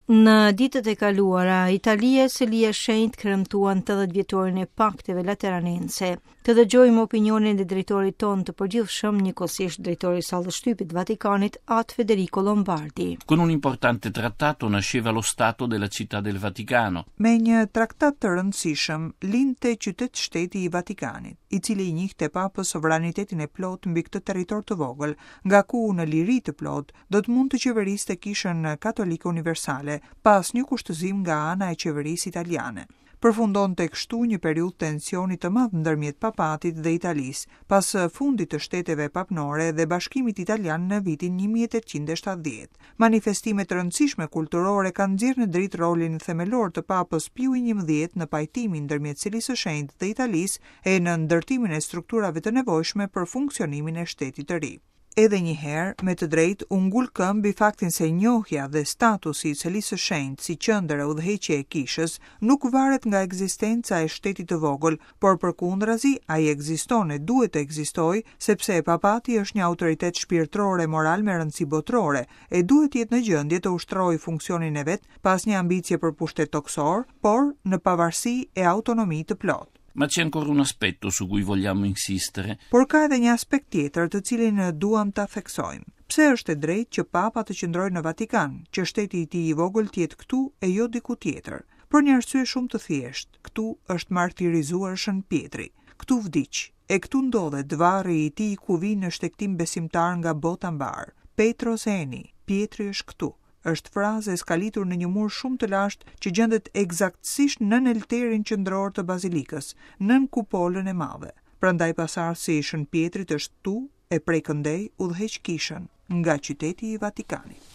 Në ditët e kaluara, Italia e Selia e Shenjtë kremtuan 80 vjetorin e Pakteve Lateranense. Të dëgjojmë opinionin e drejtorit tonë të përgjithshëm, njëkohësisht drejtorit të sallës shtypit të Vatikanit, At Federico Lombardi. Con un importante trattato nasceva lo Stato della Città del Vaticano. Me një traktat të rëndësishëm lindte qytet-shteti i Vatikanit, i cili i njihte Papës sovranitetin e plotë mbi këtë territor të vogël, nga ku në liri të plotë do të mund të qeveriste Kishën Katolike Universale, pa asnjë kushtëzim nga ana e qeverisë italiane. Përfundonte kështu një periudhë tensioni të madh ndërmjet Papatit dhe Italisë, pas fundit të shteteve papnore dhe bashkimit italian në vitin 1870. Manifestime të rëndësishme kulturore kanë nxjerrë në dritë rolin themelor të Papës Piu i XI në pajtimin ndërmjet Selisë së Shenjtë dhe Italisë e në ndërtimin e strukturave të nevojshme për funksionimin e shtetit të ri. Edhe një herë, me të drejtë, u ngul këmbë mbi faktin se njohja dhe statusi i Selisë së Shenjtë si qendër e udhëheqje e Kishës nuk varet nga ekzistenca e shtetit të vogël, por përkundrazi ai ekziston e duhet të ekzistojë, sepse Papati është një autoritet shpirtëror e moral me rëndësi botërore e duhet të jetë në gjendje të ushtrojë funksionin e vet pa asnjë ambicie për pushtet tokësor, por në pavarësi e autonomi të plotë. Ma c'è ancora un aspetto su cui vogliamo insistere. Por ka edhe një aspekt tjetër të cilin duam ta theksojmë. Pse është e drejtë që Papa të qëndrojë në Vatikan, që shteti i tij i vogël të jetë këtu e jo diku tjetër? Për një arsye shumë të thjeshtë, këtu është martirizuar Shën Pjetri. Këtu vdiq, e këtu ndodhet varri i tij ku vijnë në shtegtim besimtarë nga bota mbarë. Petros eni, Pjetri është këtu. Është frazë e skalitur në një mur shumë të lashtë që gjendet ekzaktësisht nën elterin qendror të bazilikës, nën kupolën e madhe. Prandaj pasardhësi i Shën Pjetrit është këtu e prej këndej udhëheq kishën nga qyteti i Vatikanit.